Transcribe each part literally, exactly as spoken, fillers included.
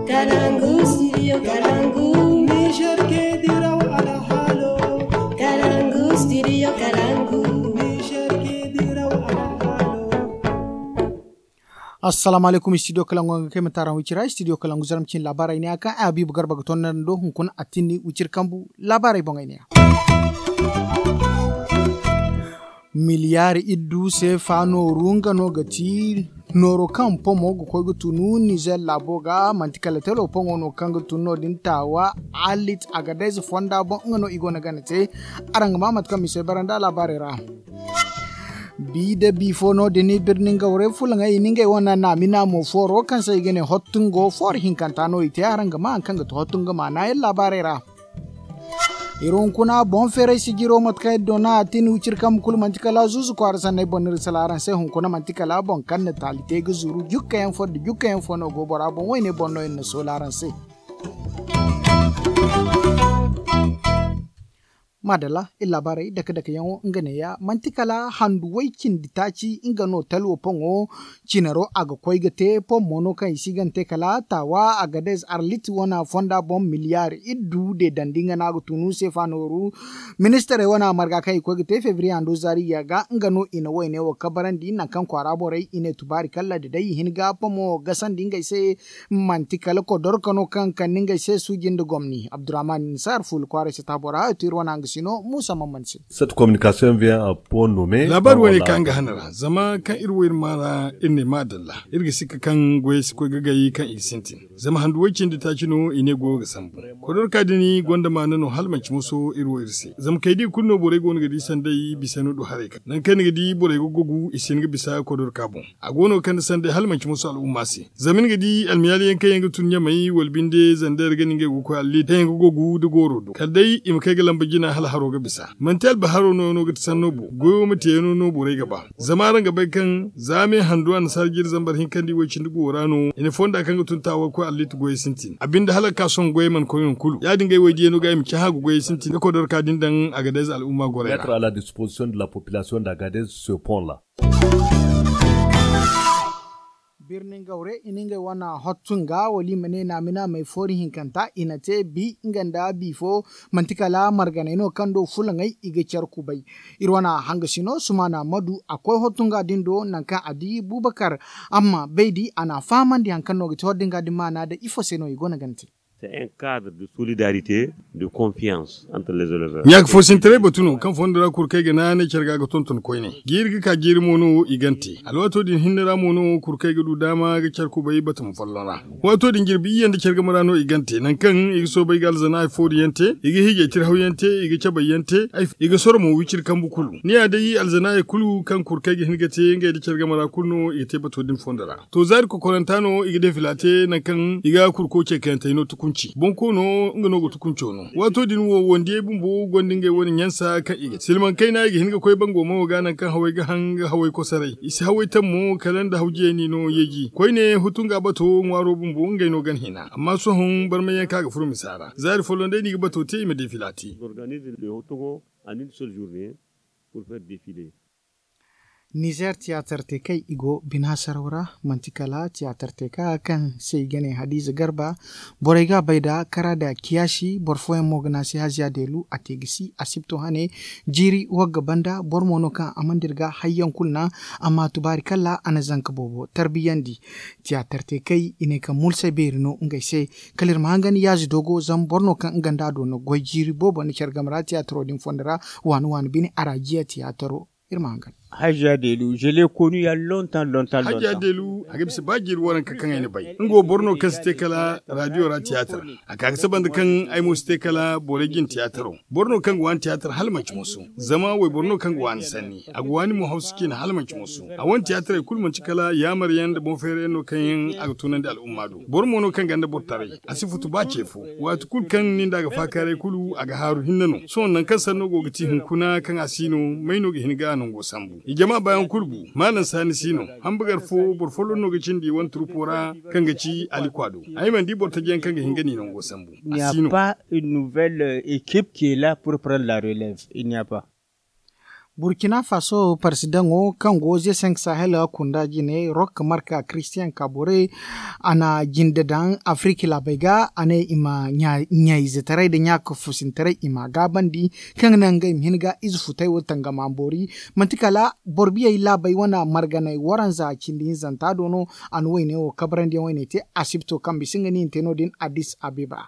Kalangu, studio Kalangu. Niger ke diraw alhalo. Kalangu, studio Kalangu. Niger ke diraw alhalo. Assalamu alaikum, studio Kalangu, nga kay mataran wicira, studio Kalangu, zaram cin labarai ne akan Habibu Garba ga tonda do hunkuna atini wicir kambu labarai bongay ne. Miliyar iddu seefa nooru nga no ga ti nooro kaŋ pomo ga koy ga tunu Nizer laabo ga, manti kala telo poŋo no kaŋ ga tunu no-din taawa. Alit Agadez fonda boŋ nga no i go no gana te. Araŋ ga ma mate kaŋ mise baranda laabaarey ra. Bi da bi fo no-din birnin gawre fulaŋey i na ngey wane naamina mo fooro kaŋ se i ga ne hottungo fooro hinkanta no i te. Araŋ ga ma haŋ kaŋ ga ti hottungo maana yaŋ laabaarey ra. Iri hunkuna boŋ feeray sijiro mate kaŋ iri doona a tin wiciri kambe kulu manti kala zuuzu kwaara sanney boŋ no iri sala araŋ se hunkuna manti kala boŋ kaŋ na taali te ga zuru jukkayaŋ fo nda jukkayaŋ fo no go bora boŋ wayne boŋ no iri na soola araŋ se. Maadalla iri laabaarey dake dake yaŋo nga neeya manti kala handu way cindi taaci nga no talwo poŋo cinaro a ga koy ga te pom mo no kaŋ i si gante kala taawa agadez arlit wana fonda boŋ miliyar iddu de dandi nga no a ga tunu seefa nooru. Ministarey wana marga kaŋ i koy ga te febriye hando zaari ya ga nga no i na wayne wo kabarandi nangu kaŋ kwaara borey i ne tubaari kala da day i hin ga pomo gasandi ngey se. Manti kala kodorka no kaŋ kande ngey se suuji nda gomni abdurrahman nisar fuula kwaaray se taabora to iri wana nga sino muusa mamman se. Laabaari wane kaŋ nga hana ra zama kaŋ iri wo iri ma ra iri ne maadalla. Iri ga sikka kaŋ goyey si koy ga gay kaŋ i ga sintin zama handu way cindi taaci no i ne goyo ga sambu. Kodorka din gonda maana no hala manci moso iri wo iri se zama kay da i kulu no borey go no ga di sanday bisa no du haray kaŋ nangu kaŋ ni ga di borey ga gogu i si hin ga bisa kodorka boŋ. A go no ga kande sanday hala manci moso al'umma se. Zama ni ga di almiyaali yaŋ kaŋ yaŋ ga tun ɲamay wala binde zandeer ga ni ngey ga koy allit kaŋ yaŋ ga gogu nda gooro do kala day i ma kay ga lamba jina hala haro ga bisa. Manti albaharo no no ga ti sanno boŋ goyo ma teeyaŋo no borey ga ba. Zama araŋ ga bay kaŋ za me handu annasaara jiiri zambar hinka nda i way cindi go ra no i na fonda kaŋ ga tun taawa ga koy allit goyey sintin a binde hala ga ka sohõ goyey mana koy nangu kulu ya- din ga ay waydiyaŋo ga ay ma cahã ga goyey sintin ga kodorka din daŋ agadez al'umma gorey ra. Birnin gawre i na ngey wane hottu nga wala i ma ne naamina may foori hinkanta i na te bi nga nda bi fo. Manti kala marganay no kaŋ do fulaŋey i ga care kubay. Iri wane hanga sino sumaana madu a koy hottu nga din do nangu kaŋ a di bubakar amma baydi a na a fahamandi hari kaŋ no ga te hottu nga din maana da ifo se no i go no ga ni te. Ɲaaka foosintaray batu no kaŋ fondo ra kurkey ga naanay care ga ga tonton koyne jiiri ga ka jiiri mo no i gante alwaato din hinne ra mo no kurkey ga du daama ga care kubay batama folloŋ ra. Waato din jirbi iyye nda care game ra no i gante nangu kaŋ i ga soobay ga alzanaayey foori yaŋ te i ga hiijay tirhaw yaŋ te i ga cabay yaŋ te. I ga soro mo wiciri kambu kulu ni ya day alzanaayey kulu kaŋ kurkey ga hin ga te ngey nda care game ra kulu no i ga te bato din fondo ra. To zaari kokoranta no i ga defila te nangu kaŋ i ga kurko ce kayantey no tukunci boŋ ko no nga no ga tukunco no. Waato din wo wandiyey bumbo gonda ngey wane ɲansa kaŋ i ga silmaŋ kayna i ga hin ga koy bango mo ga nangu kaŋ hawey ga haŋ ga hawey kosaray i si hawey taŋ mo kala nda hawjiyey no yeeji koyne hutu nga bato ŋwaaro bumbo ngey no gana hina amma sohõ barmay yaŋ kaŋ a ga furo misa ra zaari folloŋ day no i ga bato te i ma defila te. Nizer tiyaatar te kay i go bina saraw ra. Manti kala tiyaatar te ka kaŋ se i ga ne hadiza garba. Borey ga a bay da kara da kiyaasi boro fooyaŋ mo ga ne a se haziya deelu a te ga si a sibto hane. Jiiri wagga banda boro mo no kaŋ a mana dira ga hayyaŋ kulu naŋ. Amma tubaari kala a na zanka boobo tarbiyandi. Tiyaatar te kay i ne kaŋ mulsay beeri no ngey se. Kala iri ma hangan yaazi dogo zama boro no kaŋ nga nda a do no goy jiiri boobo nda care game ra tiyaataro din fondo ra. Waani waani bine a ra jiya tiyaataro. Iri ma hangan. Hajja deelu je le konu ya lontan lontan hajja deelu a ga bisa ba jiiri waranka kaŋ ay na bay nga wo boro no kaŋ si te kala radiyo ra tiyaatar. A ka ga saba nda kaŋ ay mo si te kala borey jin tiyaataro. Boro no kaŋ ga waani tiyaatar hala manci moso zama wayboro no kaŋ ga waani sanni a ga waani mo hawsu ciine hala manci moso. A wane tiyaatarey kulu manci kala yaamar yaŋ nda boŋ feera yaŋ no kaŋ yaŋ a ga tunandi al'umma do boro mo no kaŋ ganda boro taray. A si futu ba ce fo waati kulu kaŋ nin da a ga faakaaray kulu a ga haaru hinne no sohõ nangu kaŋ sanno go ga ti hunkuna kaŋ a si no may no ga hin ga a nango sambu i jama baayaŋ kulu bu maalam saani si no. Hambagar fo boro folloŋ no ga cindi i wane turpo ra kaŋ ga ci alikwa do. Ay mana di boro taji yaŋ kaŋ ga hin ga ni nango sambu a si no. Une nouvelle équipe qui est là pour prendre la relève il n'y a pas. Burkina faso parsidaŋo kaŋ go ze senk sahel kunda jine rok marka christian kabore, a na jinde daŋ afirika laabey ga a ne i ma ɲayzetaray nda ɲaaka fusintaray i ma a gaabandi, kaŋ ga naŋ ngey ma hin ga ize futay wo tangama boori. Manti kala boro biyey laabey wane marganey waranza cindi hinzanta do no. A na wayne wo kabarandi yaŋ wayne te asibto kaŋ bisa nga no i na te no- din addis abeba.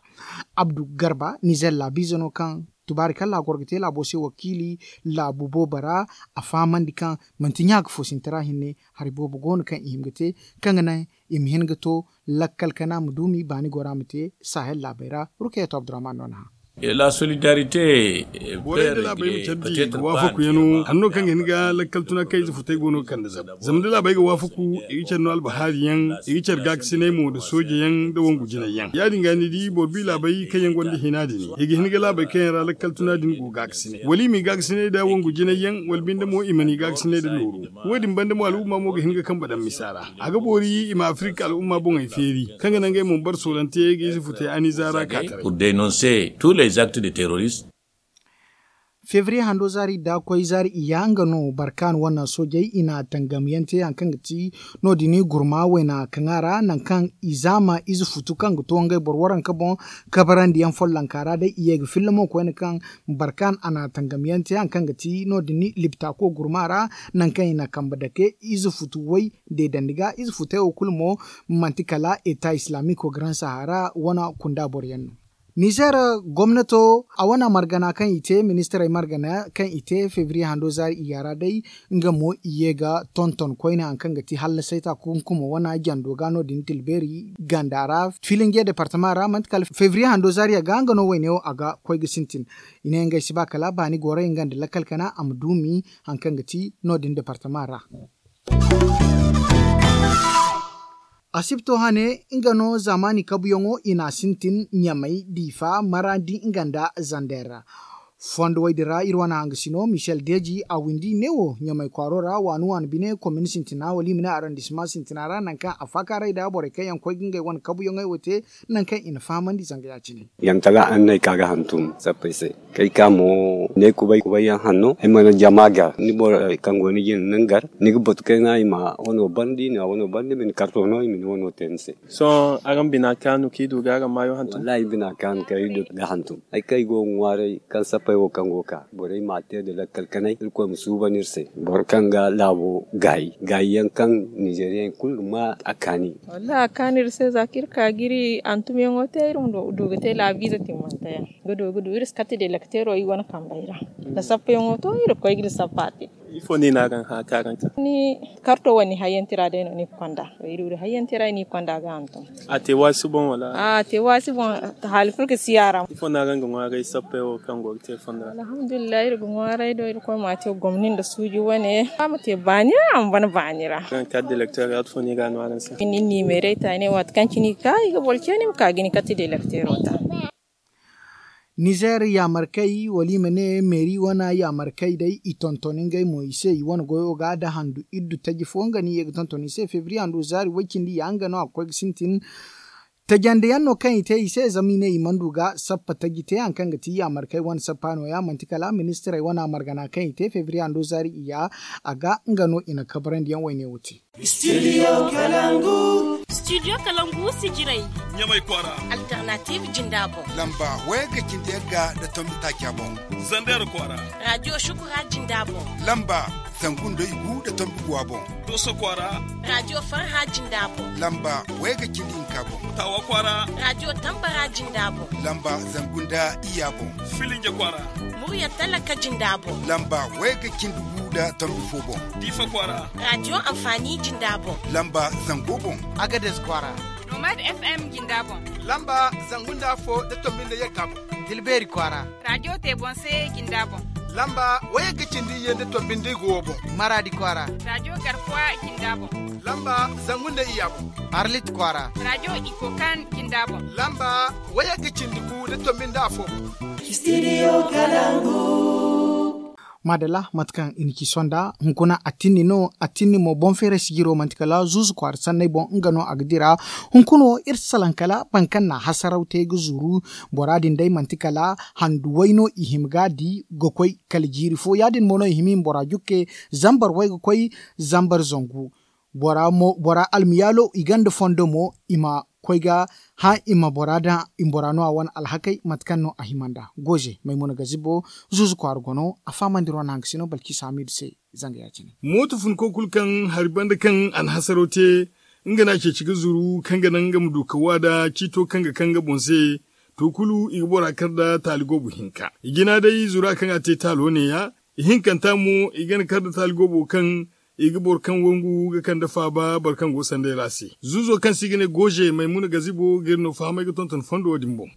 Abdu garba nizer laabiize no kaŋ tubaari kaŋ laagoro ga te laabo se wakiili laabu boobo ra. A fahamandi kaŋ manti ɲaaka fo sinti ra hinne hari boobo go no kaŋ i hin ga te, kaŋ ga naŋ i ma hin ga to lakkal kana ma duumi baani gora ma te sahel laabey ra. Rukayatu abdurahman no na hã. La solidarite. Borey da laabey ma care di ga waafaku yaŋo hanno kaŋ ga hin ga lakkal tuna kaŋ ize futay go no ga kande zabu zama da laabey ga waafaku, i ga care no albahaari yaŋ, i ga care gaakasinay mo nda sooje yaŋ nda wangu jinay yaŋ ya- din ga ni di boro bi laabey kaŋ yaŋ gonda hina din i ga hin ga laabey kaŋ yaŋ ra lakkal tuna din go gaakasinay wala i ma i gaakasinay nda wangu jinay yaŋ wala binde mo i mana i gaakasinay nda nooru. Wo- din banda mo al'umma mo ga hin ga kambe daŋ misa ra. A ga boori i ma afirka al'umma boŋey feeri kaŋ ga naŋ ngey mo ma bare soolante ga ize futay aniza ra ka taray. Pour dénoncer tous les actes de terroristes. Febriye hando zaari da koy zaari iyya nga no barkan wane soojey i na tangamyaŋ te hari kaŋ ga ti no- din gurma wayna kaŋ a ra nangu kaŋ i zaama ize futu kaŋ ga to ngey boro waranka boŋ kabarandiyaŋ follonka ra day i ye ga filla mo koyne kaŋ barkan a na tangamyaŋ te hari kaŋ ga ti no- din libtako gurma ra. Nangu kaŋ i na kambe dake ize futu way deedandi ga ize futey wo kulu mo manti kala eta islamiko garan sahara wane kunda boroyaŋ no. Nizer gomnato a wane margana kaŋ i te ministirey margana kaŋ i te febriye hando zaari iyya ra day nga mo i ye ga tonton koyne hari kaŋ ga ti hallasay ta kunkumo wane jando ga no- din tilbeeri ganda ra filinge departama ra manti kala febriye hando zaari a ga nga no wayne wo a ga koy ga sintin. I ne ngey si ba kala baani gorey nga nda lakkal kana a ma duumi hari kaŋ ga ti no- din departama ra. Asibto hane nga no zaamaani kabuyaŋo i na a sintin ɲamay diifa marandi nga nda zander ra. Fondo way din ra iri wane hangasino michel deeji a windi neewo ɲamay kwaaro ra waani waani bine komin sintina wala i ma ne arrondissement sintina ra nangu kaŋ a faakaaray nda borey kaŋ yaŋ koy ga ngey wane kabuyaŋey wo te nangu kaŋ i na fahamandi zanga ya- cine. Yaŋ kala araŋ no ay ka ga hantum sappey se. Kay ka mo ne kubay kubay yaŋ hanno ay mana jama gar ni boro kaŋ go ni jina nin gar ni ga batu kayna i ma wano bandi i na wano bandi i ma ni karto no i ma ni wano te ni se. Sohõ araŋ bina kaanu kaŋ i du ga araŋ maayo hantum? Wallahi bina kaanu kaŋ ay du ga hantum ay kaŋ ay go ga ŋwaaray kaŋ sappey wo kaŋ go ga ka borey ma a te nda lakkal kanay irkoy ma suuban iri se. Boro kaŋ ga laabo gaayi gaayi yaŋ kaŋ nizeriyaŋ kulu ga ma a kaani. Wallahi a kaanu iri se za kaŋ iri ka ga iri hantumyaŋo te iri ma du ga te laabiize timmante yaŋ ga du ga du iri si kate delekteero iri wane kambey ra. Da sappayaŋo to iri ga koy ga iri sappa te. Ifo no i ne araŋ hã kaŋ araŋ ka? Ni karto wane ni hayyante ra day no ni ga konda. Iri du hayyante ra i ni ga konda ga hantum. A te waasi boŋ wala? A te waasi boŋ. Haali kulu ga si a ra. Ifo no araŋ ga ŋwaaray sappey wo kaŋ go ga te fondo ra? Alhamdulillahi iri ga ŋwaaray do irkoy ma a te gomni nda suuji wane a ma te baani ra a ma bana baani ra. Araŋ kate delekteero yaati fo no i ga a no araŋ se? Ni nimeerey ta i ne waati kaŋ cine i ga ka i ga boro ceeni i ma ka ga ni kate delekteero ta. Nizer yaamarkey wala i ma ne meeri wane yaamarkey day i tonton ngey mo i se i wane goyo ga nda handu iddu taji fo nga no i ye ga tonton i se febriye handu zaari way cindi ya nga no a ga koy ga sintin. Tajandiyaŋ no kaŋ i te i se zama i ne i mana du ga sappa taji te hari kaŋ ga ti yaamarkey wane sappa no- ya manti kala ministirey wane margana kaŋ i te febriye handu zaari i ya a ga nga no i na kabarandiyaŋ wayne wo te. Studio kalangu. Studio kalangu sijirey. Ɲamay kwaara. Alternative jinda boŋ. Lamba wayagga cindi yagga nda tombi taaca boŋ. Zander kwaara. Radio shukura jinda boŋ. Lamba zangu nda igu nda tombi guwa boŋ. Doso kwaara. Radio farha jinda boŋ. Lamba wayagga cindi hinka boŋ. Tawa kwaara. Radio tambara jinda boŋ. Lamba zangu nda iya boŋ. Filinje kwaara. Murya talaka jinda boŋ. Lamba wayagga cindi gu nda tombi fo boŋ. Diifa kwaara. Radio amfani jinda boŋ. Lamba zango boŋ. Agades kwaara. Nomad fm jinda boŋ. Lamba zangu nda afo nda tombi nda yagga boŋ. Tilbeeri kwaara. Radio te boŋ se jinda boŋ. Lamba wayagga cindi iyye nda tombi nda igo boŋ. Maradi kwaara. Radio garkuwa jinda boŋ. Lamba zangu nda iya boŋ. Arlit kwaara. Radio ikokan jinda boŋ. Lamba wayagga cindi gu nda tombi nda afo boŋ. Studio kalangu. Maadalla, mate kaŋ i na ci sonda hunkuna a tinni no. A tinni mo boŋ feeray sijiro manti kala zuuzu kwaara sanney boŋ nga no a ga dira. Hunkuna wo iri salaŋ kala boro kaŋ na a hasaraw te ga zuru. Bora din day manti kala handu way no i hima ga a di ga koy kala jiiri fo ya- din mo no i hima i ma bora jukke zambar way ga koy zambar zangu. Bora almiyaalo i gonda fondo mo i ma koy ga hã i ma bora daŋ i ma bora no a wane alhakey mate kaŋ no a hima nd'a. Gooze maymuna gazibo zuuzu kwaara gono a fahamandi ro na haŋ ga sino balki saamiidu se. Zanga ya- cine. Mooto funko kulu kaŋ hari banda kaŋ a na hasaro te nga no a ceeci ga zuru kaŋ ga naŋ nga ma du ka waada ciito kaŋ ga kaŋ nga boŋ se. To kulu i ga bora kar nda taali goobo hinka i jina day zura kaŋ a te taalo neeya. Ihinkanta mo i ga ni kar nda taali goobo kaŋ i ga boro kaŋ wangu ga kande faaba boro kaŋ go sanday ra se. Zuuzo kaŋ se i ga ne gooze maymuna gazibo ga iri no fahamay ga tonton fondo wo- din boŋ.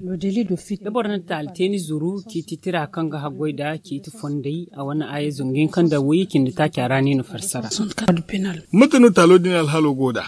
Da boro na taali te ni zuru ciiti tira kaŋ ga haggoy nd'a ciiti fondey a wane aaye zangu hinka nda wayye cindi taaca ra no i na farsara. Mate no taalo din alhaalo go nd'a?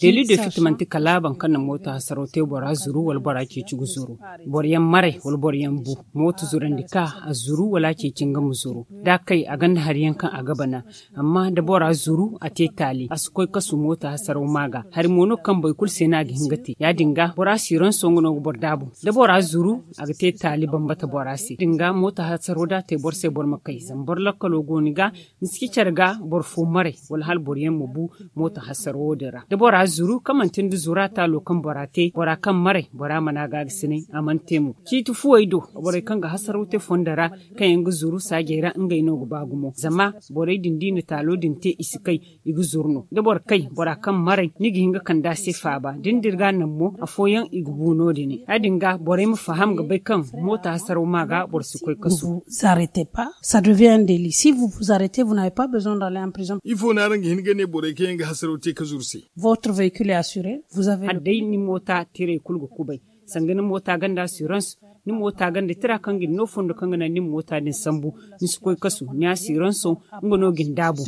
Delu de fiti manti kala boro kaŋ na mooto hasaro te bora zuru wala bora ceeci ga zuru. Boro yaŋ maray wala boro yaŋ bu mooto zurandi ka a zuru wala a ceeci nga ma zuru da a kay a gonda hari yaŋ kaŋ a ga bana. Amma da bora zuru a te taali a si koy kasu mooto hasaraw ma ga hari mo no kaŋ boro kulu se no a ga hin ga te ya- din ga bora siranso nga no ga boro daabu. Da bora zuru a ga te taali bambata bora se ya- din ga mooto hasaraw da a te boro se boro ma kay zama boro lakkalo go ni ga. Ni si ci care ga boro fo maray wala hala boro yaŋ ma bu mooto hasaraw wo- din ra da bora zuru kaŋ manti nda zura taalo kaŋ bora te bora kaŋ maray bora mana gaabisinay a mana te mo ciiti fuwey do. Borey kaŋ ga hasaraw te fondo ra kaŋ yaŋ ga zuru saajey ra ngey no ga ba gumo zama borey din da i na taalo din te i si kay. I ga zuru no da boro kay bora kaŋ maray ni ga hin ga kande a se faaba da ni dira ga naŋ mo afooyaŋ i ga bu no- din ya- din ga borey ma faham ga bay kaŋ mooto hasaraw ma ga boro si koy kasu. Vous arrêtez pas, ça devient un délit si vous vous arrêtez vous n'avez pas besoin d'aller en prison. Ifo no araŋ ga hin ga ne borey kaŋ yaŋ ga hasaraw te ga zuru se? Votre véhicule est assuré. Vous avez le- Hala day ni moota tirey kulu ga kubay sanga ni moota gonda assurance. Ni moota gonda tira kaŋ ga ni no fondo kaŋ ga naŋ ni moota din sambu ni si koy kasu ni assurance nga no ga ni daabu.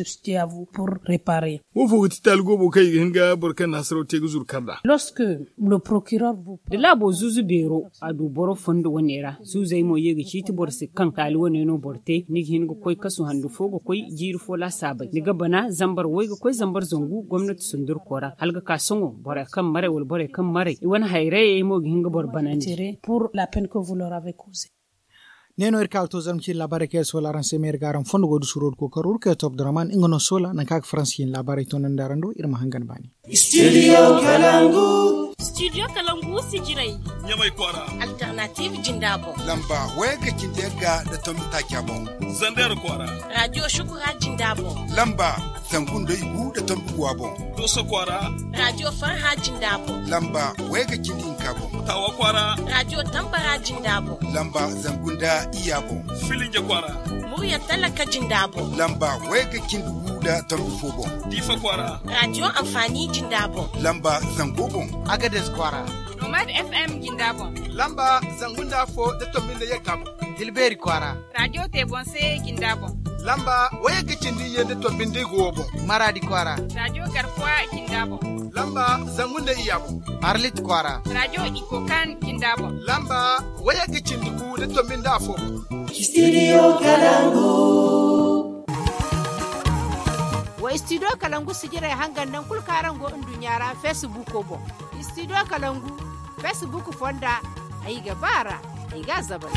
Wo fo ga ti taali goobo kaŋ i ga hin ga boro kaŋ na hasaraw te ga zuru kar nd'a? Da laabo zuuzu beero a du boro fondo wane ra zuuzey mo ye ga ciiti boro se kaŋ taali wane no boro te ni ga hin ga koy kasu handu fo ga koy jiiri fo laasaabey ni ga bana zambar way ga koy zambar zangu gomnati sundurko ra hala ga ka sohõ borey kaŋ maray wala borey kaŋ maray i wane hayrayey mo ga hin ga boro banandi. Ne no iri ka ga to zarma ciine laabaarey kaŋ iri soola araŋ se ma iri ga araŋ fondo go da suuro da kookaro iri kay to abdurrahman nga no soola nangu kaŋ a ga faransa ciine laabaarey toonandi araŋ do iri ma hangan baani. Studio kalangu. Studio kalangu sijirey ɲamay kwaara. Alternative jinda boŋ. Lamba waya ga cindi yagga nda tombi taaca boŋ. Zander kwaara. Radio shukura jinda boŋ. Lamba zangu nda igu nda tombi guwa boŋ. Doso kwaara. Radio farha jinda boŋ. Lamba waya ga cindi hinka boŋ. Tawa kwaara. Radio tambara jinda boŋ. Lamba zangu nda iyya boŋ. Filinje kwaara. Murya talaka jinda boŋ. Lamba waya ga cindi gu nda tombi fo boŋ. Diifa kwaara. Radio amfani jinda boŋ. Lamba zango boŋ. Agades kwaara. Nomad FM jinda boŋ. Lamba zangu nda afo nda tombi nda yagga boŋ. Tilbeeri kwaara. Radio te boŋ se jinda boŋ. Lamba waya ga cindi iyye nda tombi nda igu wo boŋ. Maraadi kwaara. Radio garkuwa jinda boŋ. Lamba zangu nda iyya boŋ. Arlit kwaara. Radio ikokan jinda boŋ. Lamba waya ga cindi gu nda tombi nda afo boŋ. Studio kalangu. Wa studio kalangu sijirey hangan naŋ kulu kaŋ araŋ go nduɲɲa ra facebook boŋ. Studio kalangu facebook fonda ay ga ba ra. Ay ga a zabal.